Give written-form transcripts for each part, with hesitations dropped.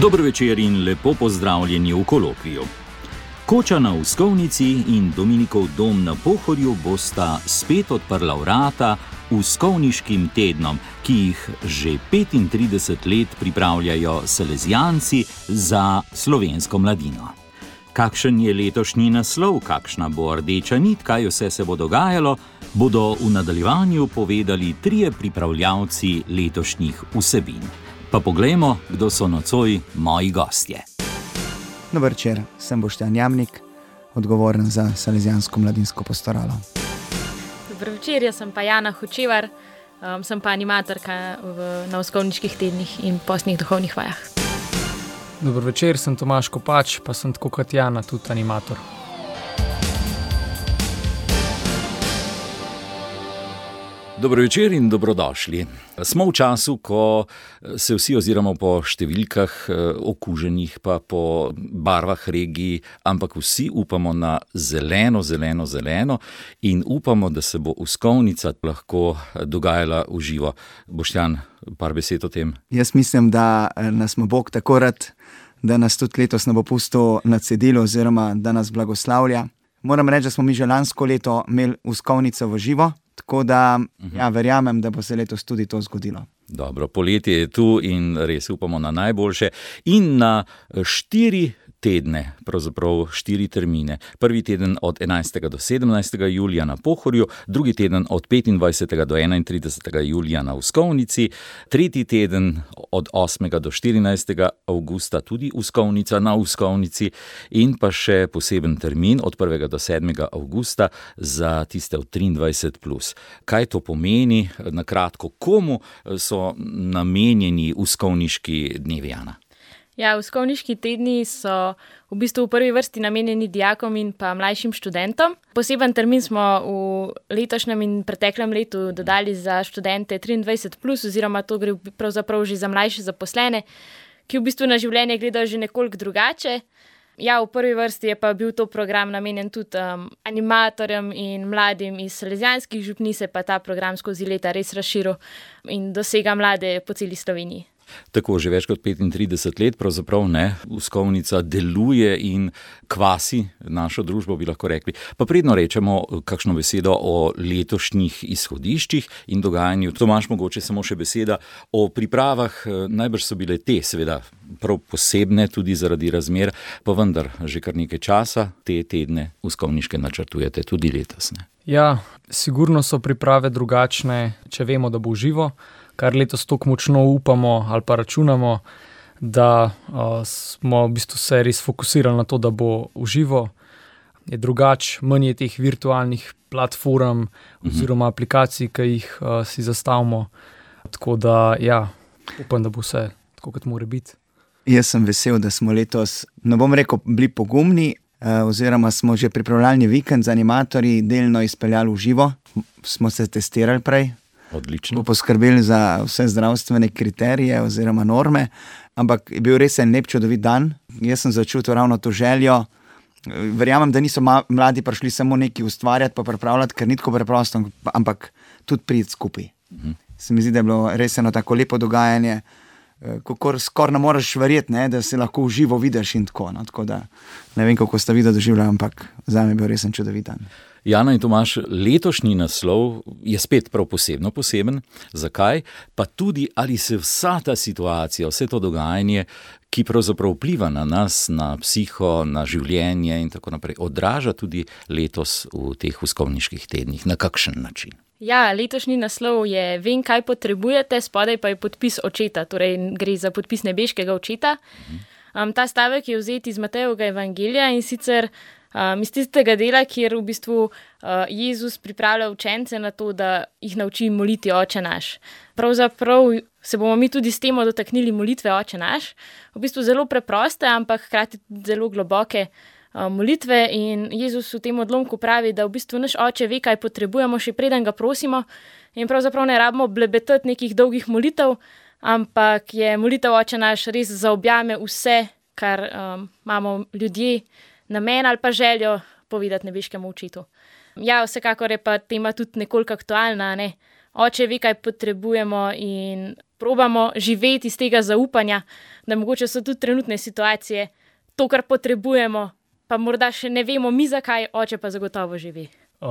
Dober večer in lepo pozdravljeni v Kolokviju. Koča na Uskovnici in Dominikov dom na Pohorju bosta spet odprla vrata Uskovniškim tednom, ki jih že 35 let pripravljajo salezijanci za slovensko mladino. Kakšen je letošnji naslov, kakšna bo rdeča nit, kaj vse se bo dogajalo, bodo v nadaljevanju povedali trije pripravljavci letošnjih vsebin. Pa poglejmo, kdo so nocoj moji gostje. Dober večer, sem Boštjan Jamnik, odgovoren za salezijansko mladinsko pastoralo. Dober večer, jaz sem pa Jana Hočevar, sem pa animatorka na Uskovniških tednih in postnih duhovnih vajah. Dober večer, sem Tomaž Kopač, pa sem tako kot Jana tudi animator. Dobro večer in dobrodošli. Smo v času, ko se vsi oziramo po številkah okuženih, pa po barvah regij, ampak vsi upamo na zeleno in upamo, da se bo Uskovnica lahko dogajala v živo. Boštjan, par besed o tem? Jaz mislim, da nas bo Bog tako rad, da nas tudi letos ne bo pustil na cedilu oziroma da nas blagoslavlja. Moram reči, da smo mi že lansko leto imeli Uskovnico v živo, tako da verjamem, da bo se letos tudi to zgodilo. Dobro, poletje je tu in res upamo na najboljše. In na 4 tedne, pravzaprav 4 termine. Prvi teden od 11. do 17. julija na Pohorju, drugi teden od 25. do 31. julija na Uskovnici, tretji teden od 8. do 14. avgusta tudi Uskovnica na Uskovnici in pa še poseben termin od 1. do 7. avgusta za tiste od 23+. Kaj to pomeni? Na kratko, komu so namenjeni Uskovniški dnevi, Jana? Ja, Uskovniški tedni so v bistvu v prvi vrsti namenjeni dijakom in pa mlajšim študentom. Poseben termin smo v letošnjem in preteklem letu dodali za študente 23+, oziroma to gre pravzaprav že za mlajše zaposlene, ki v bistvu na življenje gledajo že nekoliko drugače. Ja, v prvi vrsti je pa bil to program namenjen tudi animatorjem in mladim iz salezijanskih župnij, se pa ta program skozi leta res razširil in dosega mlade po celi Sloveniji. Tako, že več kot 35 let pravzaprav Uskovnica deluje in kvasi našo družbo, bi lahko rekli. Pa predno rečemo kakšno besedo o letošnjih izhodiščih in dogajanju. Tomaž, mogoče samo še beseda o pripravah. Najbrž so bile te, seveda, prav posebne tudi zaradi razmer, pa vendar že kar nekaj časa te tedne Uskovniške načrtujete tudi letos, ne? Ja, sigurno so priprave drugačne, če vemo, da bo živo, kar letos tako močno upamo ali pa računamo, da smo v bistvu se res fokusirali na to, da bo v živo. Je drugače, manj je teh virtualnih platform oziroma aplikacij, ki jih si zastavimo. Tako da, ja, upam, da bo vse tako, kot mora biti. Jaz sem vesel, da smo letos, ne bom rekel, bili pogumni, oziroma smo že pripravljalni vikend z animatorji delno izpeljali v živo. Smo se testirali prej. Odlično. Poskrbeli za vse zdravstvene kriterije oziroma norme, ampak je bil res en lep čudovit dan. Jaz sem začutil ravno to željo. Verjamem, da niso mladi prišli samo nekaj ustvarjati pa pripravljati, ker ni tako preprosto, ampak tudi priti skupaj. Se mi zdi, da je bilo res eno tako lepo dogajanje, skoraj ne moreš verjeti, da se lahko v živo vidiš in tako. Tako da ne vem, kako ste videli doživljali, ampak zame je bil res en čudovit dan. Jana in Tomaž, letošnji naslov je spet prav poseben. Zakaj? Pa tudi, ali se vsa ta situacija, vse to dogajanje, ki pravzaprav vpliva na nas, na psiho, na življenje in tako naprej, odraža tudi letos v teh Uskovniških tednih. Na kakšen način? Ja, letošnji naslov je Vem, kaj potrebujete, spodaj pa je podpis očeta, torej gre za podpis nebeškega očeta. Ta stavek je vzet iz Matejevega evangelija in sicer iz tistega dela, kjer v bistvu Jezus pripravlja učence na to, da jih nauči moliti Oče naš. Pravzaprav se bomo mi tudi s temo dotaknili molitve Oče naš. V bistvu zelo preproste, ampak hkrati zelo globoke molitve in Jezus v tem odlomku pravi, da v bistvu naš Oče ve, kaj potrebujemo, še preden ga prosimo in pravzaprav ne rabimo blebetati nekih dolgih molitev, ampak je molitev Oče naš res zaobjame vse, kar imamo ljudje namen ali pa željo povedati nebeškemu očetu. Ja, vsekakor je pa tema tudi nekoliko aktualna, ne? Oče ve, kaj potrebujemo in probamo živeti iz tega zaupanja, da mogoče so tudi trenutne situacije, to, kar potrebujemo, pa morda še ne vemo mi zakaj, oče pa zagotovo živi.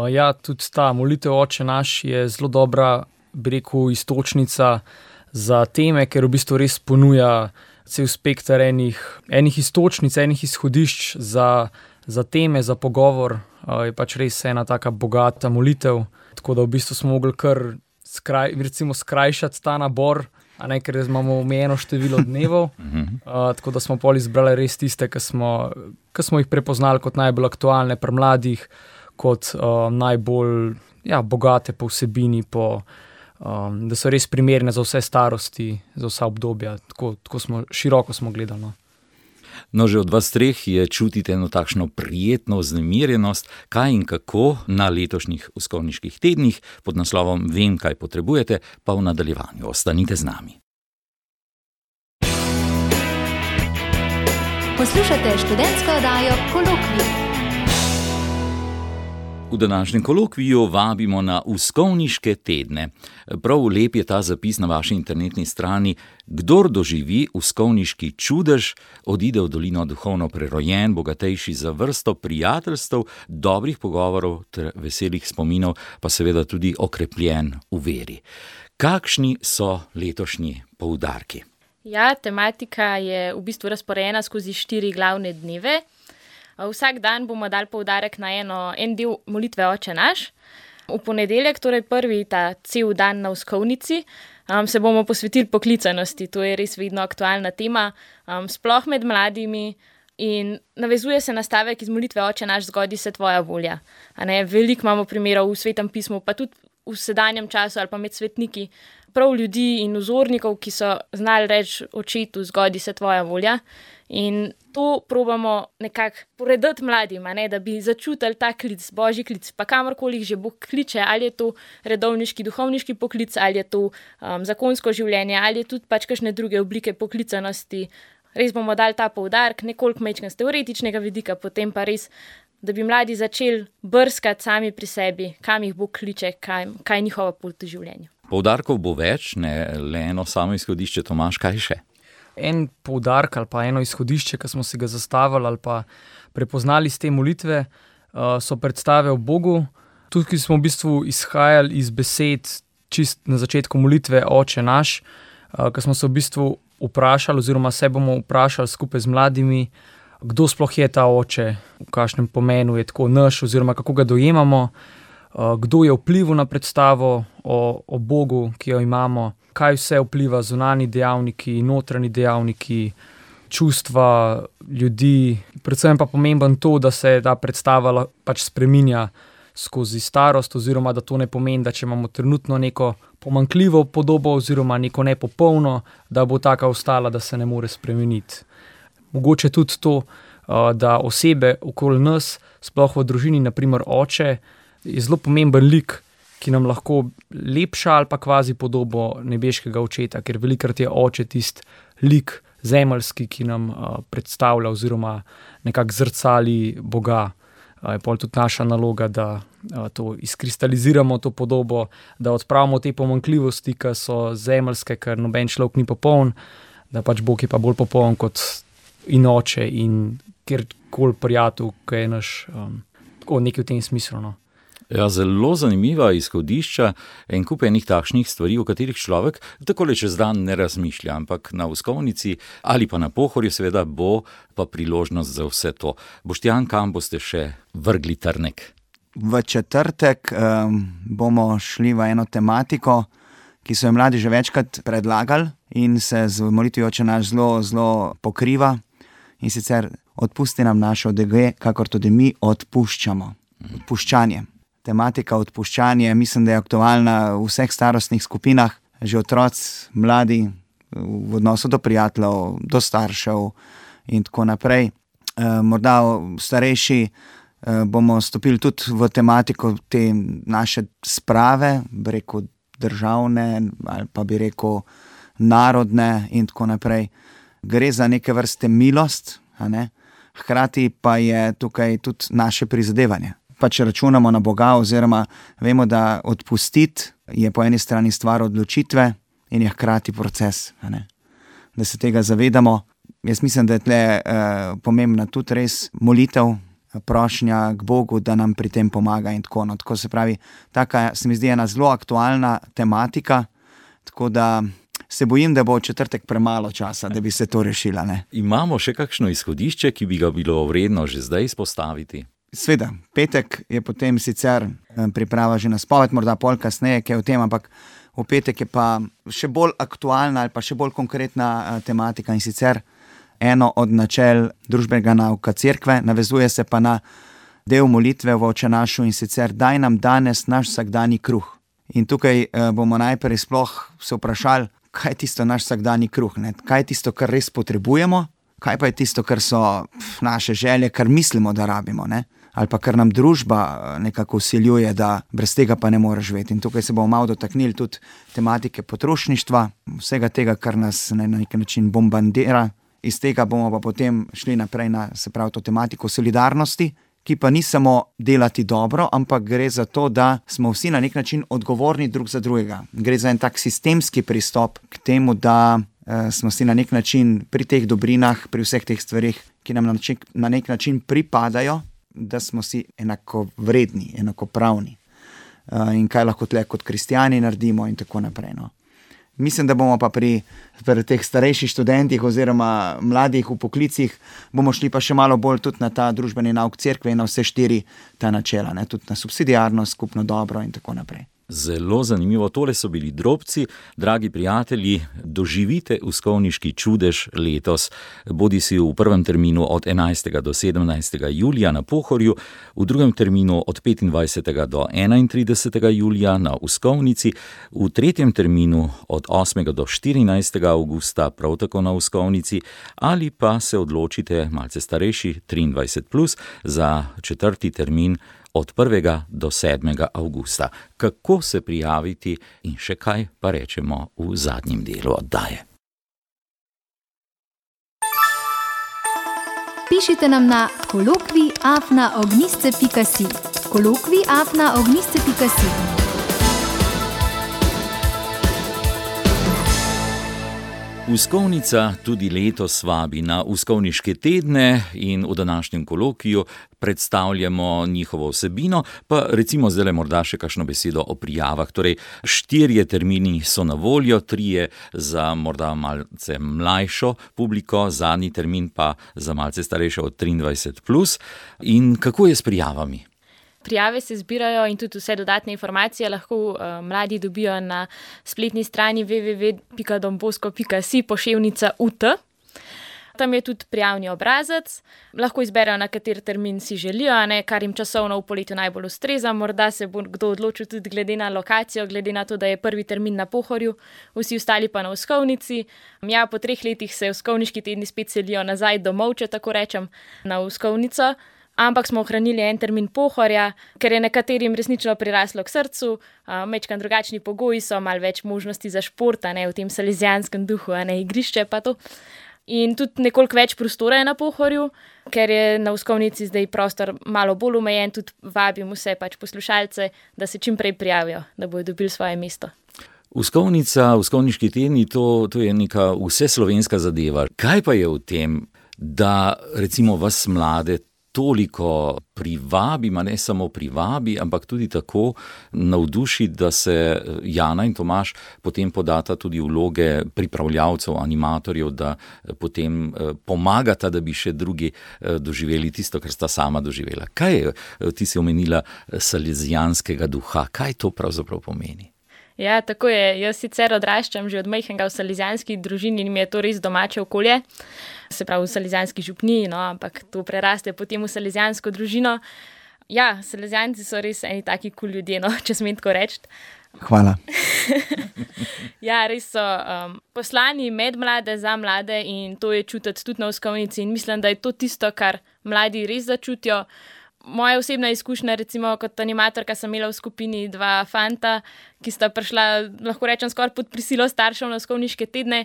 Ja, tudi ta molitev Oče naš je zelo dobra, bi rekel, iztočnica za teme, ker v bistvu res ponuja cel spekter enih iztočnic, enih izhodišč za teme, za pogovor. Je pač res ena taka bogata molitev, tako da v bistvu smo mogli kar skrajšati ta nabor, a ne, ker imamo omejeno število dnevov, tako da smo pol izbrali res tiste, ki smo jih prepoznali kot najbolj aktualne pri mladih, kot najbolj bogate po vsebini, da so res primerne za vse starosti, za vsa obdobja, tako široko smo gledali. No. No, že od vas treh je čutiti eno takšno prijetno vznemirjenost, kaj in kako na letošnjih uskovniških tednih pod naslovom Vem, kaj potrebujete, pa v nadaljevanju. Ostanite z nami. Poslušate študentsko oddajo Kolokvij. V današnjem kolokviju vabimo na uskovniške tedne. Prav lep je ta zapis na vaši internetni strani. Kdor doživi uskovniški čudež, odide v dolino duhovno prerojen, bogatejši za vrsto prijateljstev, dobrih pogovorov ter veselih spominov, pa seveda tudi okrepljen v veri. Kakšni so letošnji poudarki? Ja, tematika je v bistvu razporejena skozi 4 glavne dneve. Vsak dan bomo dali poudarek na en del molitve Oče naš. V ponedeljek, torej prvi ta cel dan na uskovnici, se bomo posvetili poklicanosti. To je res vedno aktualna tema, sploh med mladimi, in navezuje se na stavek iz molitve Oče naš, zgodi se tvoja volja. Veliko imamo primerov v Svetem pismu, pa tudi v sedanjem času ali pa med svetniki, prav ljudi in vzornikov, ki so znali reči očetu, zgodi se tvoja volja. In to probamo nekako porediti mladim, da bi začutili ta klic, božji klic, pa kamorkoli že Bog kliče, ali je to redovniški, duhovniški poklic, ali je to zakonsko življenje, ali je tudi pač kakšne druge oblike poklicanosti. Res bomo dali ta poudarek, nekoliko majčkeno z teoretičnega vidika, potem pa res, da bi mladi začeli brskati sami pri sebi, kam jih Bog kliče, kaj je njihova pot v življenju. Poudarkov bo več, ne le eno samo izhodišče. Tomaž, kaj še? En poudarek ali pa eno izhodišče, ki smo si ga zastavili ali pa prepoznali iz te molitve, so predstave o Bogu. Tukaj smo v bistvu izhajali iz besed čist na začetku molitve Oče naš, ki smo se v bistvu vprašali oziroma se bomo vprašali skupaj z mladimi, kdo sploh je ta Oče, v kakšnem pomenu je tako naš oziroma kako ga dojemamo, kdo je vplival na predstavo o Bogu, ki jo imamo, kaj vse vpliva zunanji dejavniki, notranji dejavniki, čustva ljudi. Predvsem pa pomemben to, da se ta predstava pač spreminja skozi starost, oziroma da to ne pomeni, da če imamo trenutno neko pomanjkljivo podobo oziroma neko nepopolno, da bo taka ostala, da se ne more spremeniti. Mogoče tudi to, da osebe okoli nas, sploh v družini, naprimer oče, je zelo pomemben lik, ki nam lahko lepša ali pa kvazi podobo nebeškega očeta, ker velikokrat je oče tisti lik zemeljski, ki nam predstavlja oziroma nekako zrcali Boga. Je pol tudi naša naloga, da to izkristaliziramo, to podobo, da odpravimo te pomanjkljivosti, ki so zemeljske, ker noben človek ni popoln, da pač Bog je pa bolj popoln kot in oče in kjerkoli prijatelj, ki je naš, tako nekaj v tem smislu, no. Ja, zelo zanimiva izhodišča, en kup enih takšnih stvari, o katerih človek takole čez dan ne razmišlja, ampak na uskovnici ali pa na Pohorju seveda bo pa priložnost za vse to. Boštjan, kam boste še vrgli trnek? V četrtek bomo šli v eno tematiko, ki so jo mladi že večkrat predlagali in se z molitvijo Oče naš zelo pokriva, in sicer odpusti nam naše odgreške, kakor tudi mi odpuščamo. Odpuščanje. Tematika odpuščanja, mislim, da je aktualna v vseh starostnih skupinah, že otroci, mladi, v odnosu do prijateljev, do staršev in tako naprej. Morda starejši bomo stopili tudi v tematiko te naše sprave, bi rekel državne ali pa bi rekel narodne in tako naprej. Gre za neke vrste milost, a ne? Hkrati pa je tukaj tudi naše prizadevanje. pač računamo na Boga, oziroma vemo, da odpustiti je po eni strani stvar odločitve in je hkrati proces, a ne? Da se tega zavedamo. Jaz mislim, da je tle pomembna tudi res molitev, prošnja k Bogu, da nam pri tem pomaga in tako. No, tako se pravi, taka se mi zdi ena zelo aktualna tematika, tako da se bojim, da bo v četrtek premalo časa, da bi se to rešila, ne. Imamo še kakšno izhodišče, ki bi ga bilo vredno že zdaj izpostaviti? Sveda, petek je potem sicer priprava že na spoved, morda pol kasneje, kaj o tem, ampak v petek je pa še bolj aktualna ali pa še bolj konkretna tematika, in sicer eno od načel družbenega nauka cerkve, navezuje se pa na del molitve v Oče našu, in sicer daj nam danes naš vsakdanji kruh. In tukaj bomo najprej sploh se vprašali, kaj je tisto naš vsakdanji kruh, ne? Kaj je tisto, kar res potrebujemo, kaj pa je tisto, kar so naše želje, kar mislimo, da rabimo, ne? Ali pa kar nam družba nekako vsiljuje, da brez tega pa ne moreš živeti. In tukaj se bomo malo dotaknili tudi tematike potrošništva, vsega tega, kar nas na nek način bombardira. Iz tega bomo pa potem šli naprej na, se pravi, to tematiko solidarnosti, ki pa ni samo delati dobro, ampak gre za to, da smo vsi na nek način odgovorni drug za drugega. Gre za en tak sistemski pristop k temu, da smo si na nek način pri teh dobrinah, pri vseh teh stvarih, ki nam na nek način pripadajo, da smo si enako vredni, enakopravni. In kaj lahko tle kot kristjani naredimo in tako naprej, no. Mislim, da bomo pa pri teh starejših študentih oziroma mladih v poklicih bomo šli pa še malo bolj tudi na ta družbeni nauk cerkve in na vse 4 ta načela, ne? Tudi na subsidiarnost, skupno dobro in tako naprej. Zelo zanimivo, tole so bili drobci. Dragi prijatelji, doživite uskovniški čudež letos, bodi si v prvem terminu od 11. do 17. julija na Pohorju, v drugem terminu od 25. do 31. julija na Uskovnici, v tretjem terminu od 8. do 14. avgusta prav tako na Uskovnici, ali pa se odločite, malce starejši, 23+, za četrti termin od 1. do 7. avgusta. Kako se prijaviti in še kaj pa rečemo v zadnjem delu oddaje. Pišite nam na kolokvij@ognjisce.si. kolokvij@ognjisce.si. Uskovnica tudi letos vabi na uskovniške tedne in v današnjem kolokviju predstavljamo njihovo vsebino, pa recimo zdaj morda še kakšno besedo o prijavah. Torej, 4 termini so na voljo, 3 za morda malce mlajšo publiko, zadnji termin pa za malce starejšo od 23+. In kako je s prijavami? Prijave se zbirajo in tudi vse dodatne informacije lahko mladi dobijo na spletni strani www.donbosco.si/UT. Tam je tudi prijavni obrazec, lahko izberejo, na kateri termin si želijo, ne, kar jim časovno v poletju najbolj ustreza. Morda se bo kdo odločil tudi glede na lokacijo, glede na to, da je prvi termin na Pohorju, vsi ostali pa na Uskovnici. Ja, po 3 letih se uskovniški tedni spet selijo nazaj domov, če tako rečem, na Uskovnico. Ampak smo ohranili en termin Pohorja, ker je nekaterim resnično priraslo k srcu, majčkeno drugačni pogoji so, malo več možnosti za šport, ne, v tem salezijanskem duhu, ne, igrišče pa to. In tudi nekoliko več prostora je na Pohorju, ker je na Uskovnici zdaj prostor malo bolj omejen, tudi vabim vse pač poslušalce, da se čim prej prijavijo, da bodo dobili svoje mesto. Uskovnica, uskovniški tedni, to je neka vseslovenska zadeva. Kaj pa je v tem, da recimo vas mlade toliko privabi, ma ne samo privabi, ampak tudi tako navduši, da se Jana in Tomaž potem podata tudi vloge pripravljavcev, animatorjev, da potem pomagata, da bi še drugi doživeli tisto, kar sta sama doživela. Kaj je, ti si omenila salezijanskega duha, kaj to pravzaprav pomeni? Ja, tako je. Jaz sicer odraščam že od majhnega v salezijanski družini in mi je to res domače okolje. Se pravi v salezijanski župniji, no, ampak to preraste potem v salezijansko družino. Ja, salezijanci so res eni taki kul ljudje, no, če smem tako reči. Hvala. Ja, res so poslani med mlade, za mlade in to je čutiti tudi na Uskovnici in mislim, da je to tisto, kar mladi res začutijo. Moja osebna izkušnja, recimo kot animatorka, sem imela v skupini 2 fanta, ki sta prišla, lahko rečem, skoraj pod prisilo staršev na uskovniške tedne.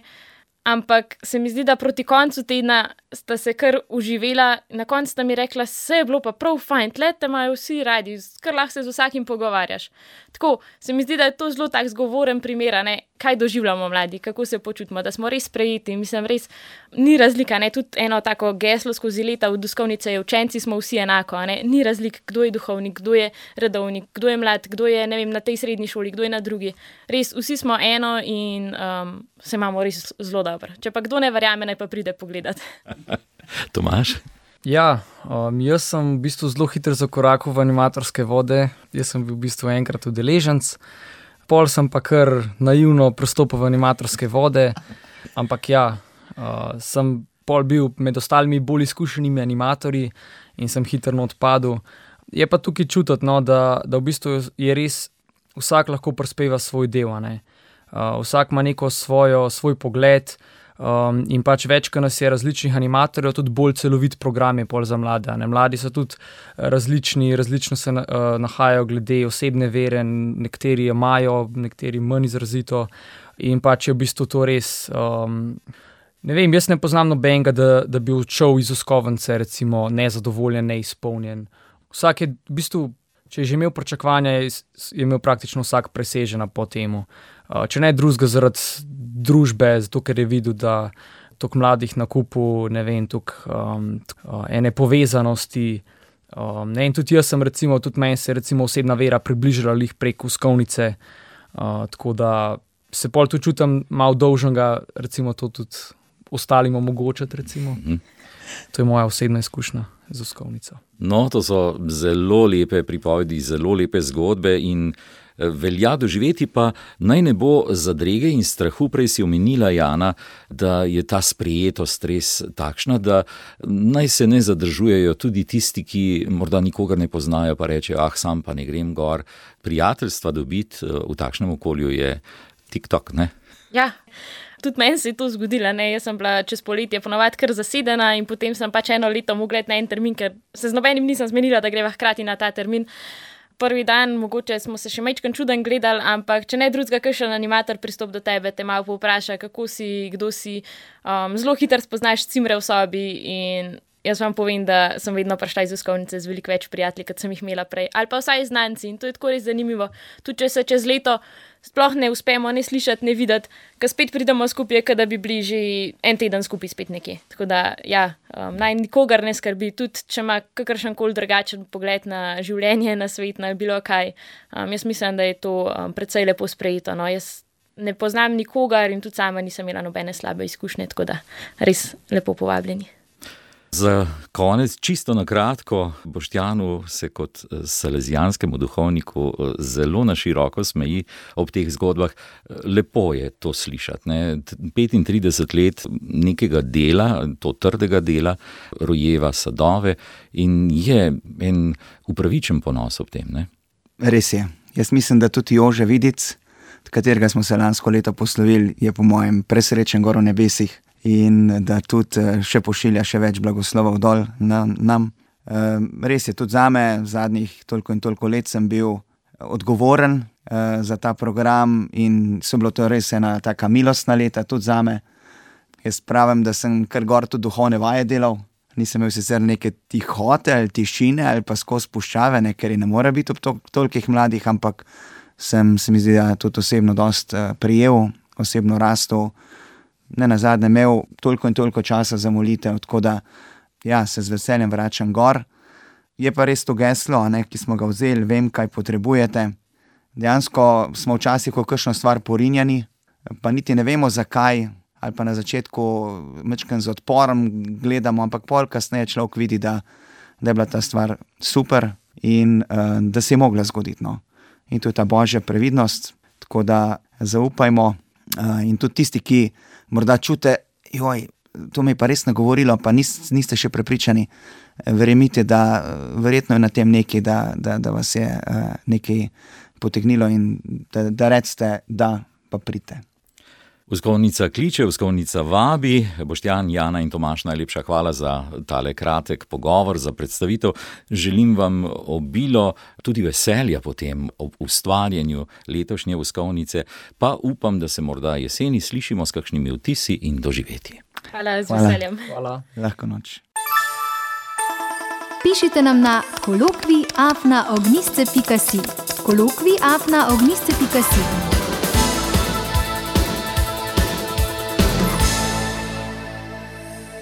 Ampak se mi zdi, da proti koncu tedna sta se kar uživela, na koncu sta mi rekla, vse je bilo pa prav fajn, tle te imajo vsi radi, kar lahko se z vsakim pogovarjaš. Tako, se mi zdi, da je to zelo tak zgovoren primer, ne, kaj doživljamo mladi, kako se počutimo, da smo res sprejeti, mislim, res ni razlika, ne, tudi eno tako geslo skozi leta v doskovnice je, učenci smo vsi enako, ne, ni razlik, kdo je duhovnik, kdo je redovnik, kdo je mlad, kdo je, ne vem, na tej srednji šoli, kdo je na drugi. Res, vsi smo eno in se imamo res zelo dobro. Če pa kdo ne verjame, naj pa pride pogledat. Tomaž? Ja, jaz sem v bistvu zelo hitro zakorakal v animatorske vode. Jaz sem bil v bistvu enkrat udeleženec, pol sem pa kar naivno pristopil v animatorske vode, ampak ja, sem pol bil med ostalimi bolj izkušenimi animatorji in sem hitro odpadel. Je pa tukaj čutiti, no, da v bistvu je res vsak lahko prispeva svoj del, ne. Vsak ima neko svoj pogled, in pač več, ko nas je različnih animatorjev, tudi bolj celovit program je pol za mlade. Ne? Mladi so tudi različno se nahajajo glede osebne vere, nekateri imajo, nekateri manj izrazito in pač je v bistvu to res, ne vem, jaz ne poznam nobenega, da bi odšel iz uskovnice recimo nezadovoljen, neizpolnjen. Vsak je v bistvu, če je že imel pričakovanja, je imel praktično vsak presežena po temu. Če ne drugega zaradi družbe, zato ker je videl, da toliko mladih na kupu, ne vem, toliko ene povezanosti. Ne, in tudi jaz sem recimo, tudi meni se recimo osebna vera približala lih prek uskovnice, tako da se pol tu čutim malo dolžnega, recimo to tudi ostalim omogočati recimo. To je moja osebna izkušnja z uskovnico. No, to so zelo lepe pripovedi, zelo lepe zgodbe in velja doživeti, pa naj ne bo zadrege in strahu. Prej si omenila, Jana, da je ta sprejetost res takšna, da naj se ne zadržujejo tudi tisti, ki morda nikogar ne poznajo, pa rečejo, sam pa ne grem gor. Prijateljstva dobiti v takšnem okolju je TikTok, ne? Ja, tudi meni se je to zgodilo, ne, jaz sem bila čez poletje ponovadi kar zasedena in potem sem pač eno leto mogla na en termin, ker se z nobenim nisem zmenila, da greva hkrati na ta termin. Prvi dan, mogoče smo se še majčkeno čuden gledali, ampak če ne drugega, kakšen animator pristop do tebe, te malo povpraša, kako si, kdo si, zelo hitro spoznaš cimre v sobi in jaz vam povem, da sem vedno prišla iz uskovnice z veliko več prijatelji, kot sem jih imela prej, ali pa vsaj znanci in to je tako res zanimivo. Tudi če se čez leto sploh ne uspemo ne slišati, ne videti, ko spet pridemo skupaj, kot da bi bili že en teden skupaj spet nekje. Tako da, ja, naj nikogar ne skrbi, tudi če ima kakršenkoli drugačen pogled na življenje, na svet, na bilo kaj. Jaz mislim, da je to precej lepo sprejeto. No. Jaz ne poznam nikogar in tudi sama nisem imela nobene slabe izkušnje, tako da res lepo povabljeni. Za konec, čisto na kratko, Boštjanu se kot salezijanskemu duhovniku zelo na široko smeji ob teh zgodbah. Lepo je to slišati. Ne? 35 let nekega dela, to trdega dela, rojeva sadove in je en upravičen ponos ob tem. Ne? Res je. Jaz mislim, da tudi Jože Vidic, katerega smo se lansko leto poslovili, je po mojem presrečen gor v nebesih. In da tudi še pošilja še več blagoslovov dol nam. Res je tudi zame, zadnjih toliko in toliko let sem bil odgovoren za ta program in so bilo to res ena taka milostna leta tudi zame. Jaz pravim, da sem kar gor tudi duhovne vaje delal, nisem imel sicer neke tihote ali tišine ali pa skozi puščave, ne, ker je ne more biti ob tolikih mladih, ampak se mi zdi, da tudi osebno dost prijel, osebno rastel. Ne nazadnje imel toliko in toliko časa za molitev, tako da ja, se z veseljem vračam gor. Je pa res to geslo, ne, ki smo ga vzeli, vem, kaj potrebujete. Dejansko smo včasih v kakšno stvar porinjeni, pa niti ne vemo zakaj, ali pa na začetku majčkeno z odporom gledamo, ampak pol kasneje človek vidi, da je bila ta stvar super in da se je mogla zgoditi. No. In to je ta božja previdnost, tako da zaupajmo in tudi tisti, ki morda čute, to mi je pa res nagovorilo, pa niste še prepričani, verjemite, da verjetno je na tem nekaj, da vas je nekaj potegnilo in da recite, da pa pridite. Vzkovnica kliče, vzkovnica vabi. Boštjan, Jana in Tomaž, najlepša hvala za tale kratek pogovor, za predstavitev. Želim vam obilo tudi veselja potem ob ustvarjanju letošnje vzkovnice, pa upam, da se morda jeseni slišimo s kakšnimi vtisi in doživetji. Hvala, z veseljem. Hvala. Lahko noč. Pišite nam na kolokvij@ognjisce.si. kolokvij@ognjisce.si.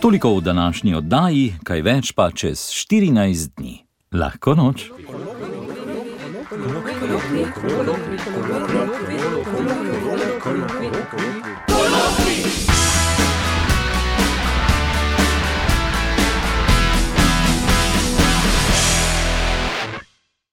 Toliko v današnji oddaji, kaj več pa čez 14 dni. Lahko noč. Kolokvij.